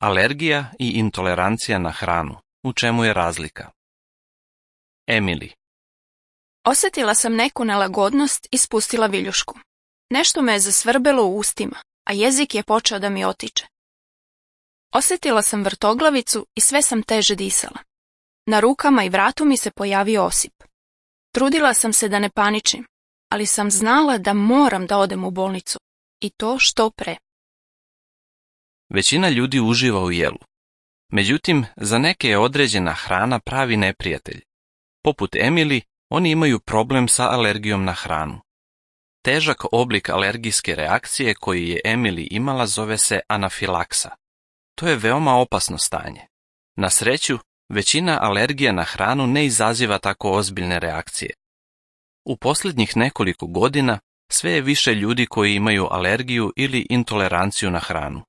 Alergija i intolerancija na hranu. U čemu je razlika? Emily. Osjetila sam neku nelagodnost i spustila viljušku. Nešto me je zasvrbelo u ustima, a jezik je počeo da mi otiče. Osjetila sam vrtoglavicu i sve sam teže disala. Na rukama i vratu mi se pojavio osip. Trudila sam se da ne paničim, ali sam znala da moram da odem u bolnicu. I to što pre. Većina ljudi uživa u jelu. Međutim, za neke je određena hrana pravi neprijatelj. Poput Emily, oni imaju problem sa alergijom na hranu. Težak oblik alergijske reakcije koji je Emily imala zove se anafilaksa. To je veoma opasno stanje. Na sreću, većina alergija na hranu ne izaziva tako ozbiljne reakcije. U posljednjih nekoliko godina sve je više ljudi koji imaju alergiju ili intoleranciju na hranu.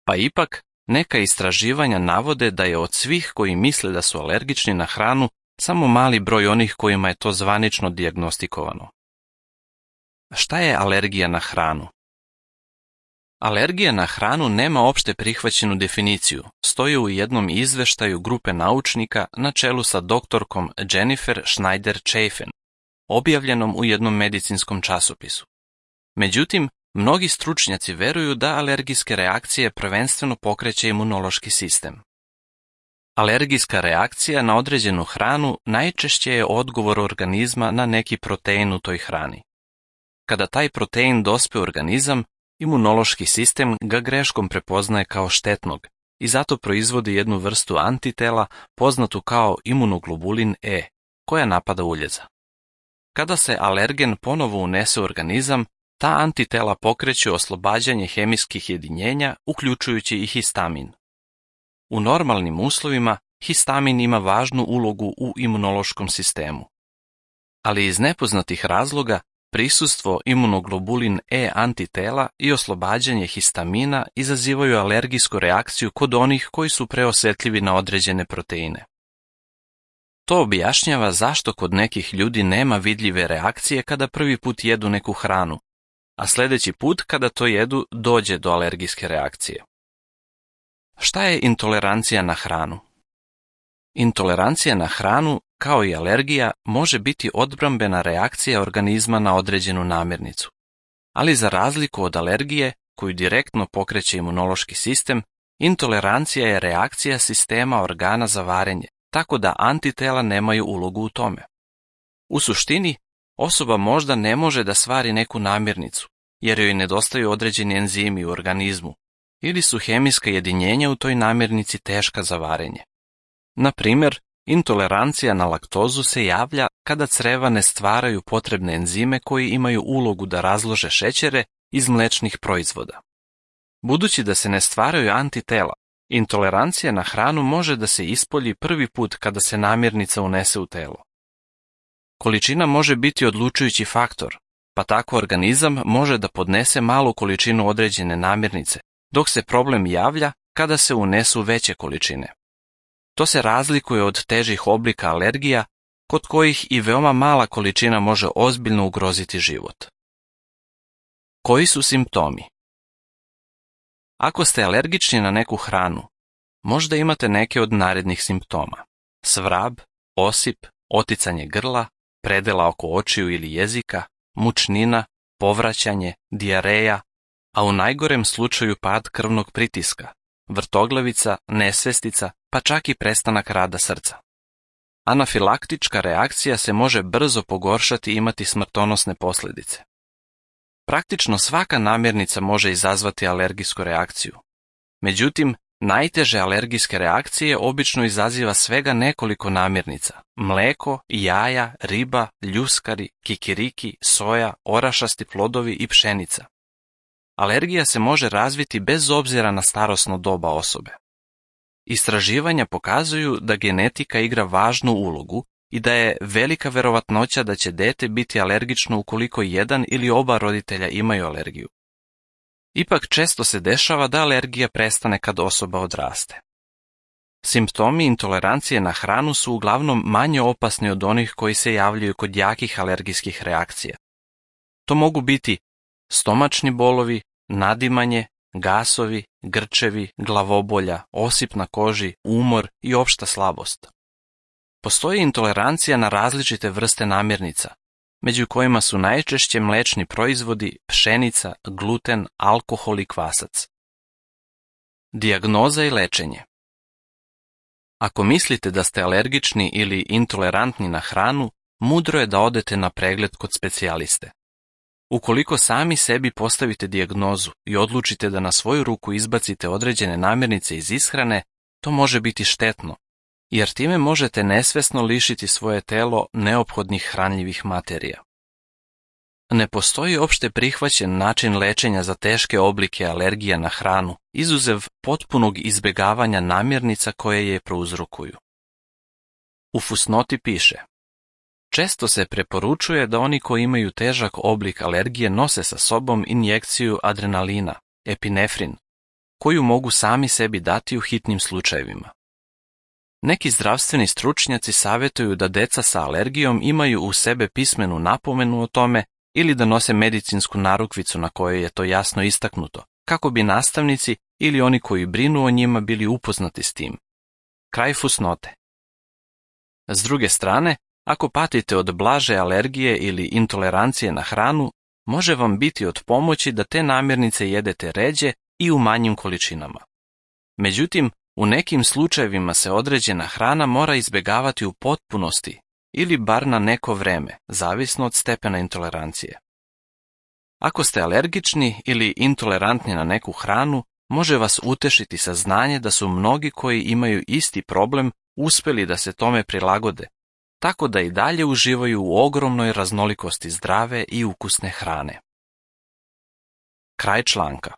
Pa ipak, neka istraživanja navode da je od svih koji misle da su alergični na hranu samo mali broj onih kojima je to zvanično dijagnostikovano. Šta je alergija na hranu? Alergija na hranu nema opšte prihvaćenu definiciju, stoji u jednom izveštaju grupe naučnika na čelu sa doktorkom Jennifer Schneider-Chafin, objavljenom u jednom medicinskom časopisu. Međutim, mnogi stručnjaci veruju da alergijske reakcije prvenstveno pokreće imunološki sistem. Alergijska reakcija na određenu hranu najčešće je odgovor organizma na neki protein u toj hrani. Kada taj protein dospe u organizam, imunološki sistem ga greškom prepoznaje kao štetnog i zato proizvodi jednu vrstu antitela poznatu kao imunoglobulin E, koja napada uljeza. Kada se alergen ponovo unese u organizam, ta antitela pokreću oslobađanje hemijskih jedinjenja, uključujući i histamin. U normalnim uslovima histamin ima važnu ulogu u imunološkom sistemu. Ali iz nepoznatih razloga prisustvo imunoglobulin E antitela i oslobađanje histamina izazivaju alergijsku reakciju kod onih koji su preosetljivi na određene proteine. To objašnjava zašto kod nekih ljudi nema vidljive reakcije kada prvi put jedu neku hranu, a sljedeći put kada to jedu dođe do alergijske reakcije. Šta je intolerancija na hranu? Intolerancija na hranu, kao i alergija, može biti odbrambena reakcija organizma na određenu namirnicu. Ali za razliku od alergije, koju direktno pokreće imunološki sistem, intolerancija je reakcija sistema organa za varenje, tako da antitela nemaju ulogu u tome. U suštini, osoba možda ne može da svari neku namirnicu, jer joj nedostaju određeni enzimi u organizmu, ili su hemijska jedinjenja u toj namirnici teška za varenje. Na primjer, intolerancija na laktozu se javlja kada creva ne stvaraju potrebne enzime koji imaju ulogu da razlože šećere iz mlečnih proizvoda. Budući da se ne stvaraju antitela, intolerancija na hranu može da se ispolji prvi put kada se namirnica unese u telo. Količina može biti odlučujući faktor, pa tako organizam može da podnese malu količinu određene namirnice, dok se problem javlja kada se unesu veće količine. To se razlikuje od težih oblika alergija, kod kojih i veoma mala količina može ozbiljno ugroziti život. Koji su simptomi? Ako ste alergični na neku hranu, možda imate neke od narednih simptoma: svrab, osip, oticanje grla, predela oko očiju ili jezika, mučnina, povraćanje, dijareja, a u najgorem slučaju pad krvnog pritiska, vrtoglavica, nesvestica, pa čak i prestanak rada srca. Anafilaktička reakcija se može brzo pogoršati i imati smrtonosne posljedice. Praktično svaka namirnica može izazvati alergijsku reakciju. Međutim, najteže alergijske reakcije obično izaziva svega nekoliko namirnica: mleko, jaja, riba, ljuskari, kikiriki, soja, orašasti plodovi i pšenica. Alergija se može razviti bez obzira na starosno doba osobe. Istraživanja pokazuju da genetika igra važnu ulogu i da je velika verovatnoća da će dete biti alergično ukoliko jedan ili oba roditelja imaju alergiju. Ipak često se dešava da alergija prestane kad osoba odraste. Simptomi intolerancije na hranu su uglavnom manje opasni od onih koji se javljaju kod jakih alergijskih reakcija. To mogu biti stomačni bolovi, nadimanje, gasovi, grčevi, glavobolja, osip na koži, umor i opšta slabost. Postoji intolerancija na različite vrste namirnica, među kojima su najčešće mlečni proizvodi, pšenica, gluten, alkohol i kvasac. Dijagnoza i lečenje. Ako mislite da ste alergični ili intolerantni na hranu, mudro je da odete na pregled kod specijaliste. Ukoliko sami sebi postavite dijagnozu i odlučite da na svoju ruku izbacite određene namirnice iz ishrane, to može biti štetno, jer time možete nesvesno lišiti svoje telo neophodnih hranljivih materija. Ne postoji opšte prihvaćen način lečenja za teške oblike alergija na hranu, izuzev potpunog izbjegavanja namirnica koje je prouzrokuju. U fusnoti piše: često se preporučuje da oni koji imaju težak oblik alergije nose sa sobom injekciju adrenalina, epinefrin, koju mogu sami sebi dati u hitnim slučajevima. Neki zdravstveni stručnjaci savjetuju da deca sa alergijom imaju u sebe pismenu napomenu o tome ili da nose medicinsku narukvicu na kojoj je to jasno istaknuto, kako bi nastavnici ili oni koji brinu o njima bili upoznati s tim. Kraj fusnote. S druge strane, ako patite od blaže alergije ili intolerancije na hranu, može vam biti od pomoći da te namirnice jedete ređe i u manjim količinama. Međutim, u nekim slučajevima se određena hrana mora izbjegavati u potpunosti ili bar na neko vreme, zavisno od stepena intolerancije. Ako ste alergični ili intolerantni na neku hranu, može vas utešiti saznanje da su mnogi koji imaju isti problem uspjeli da se tome prilagode, tako da i dalje uživaju u ogromnoj raznolikosti zdrave i ukusne hrane. Kraj članka.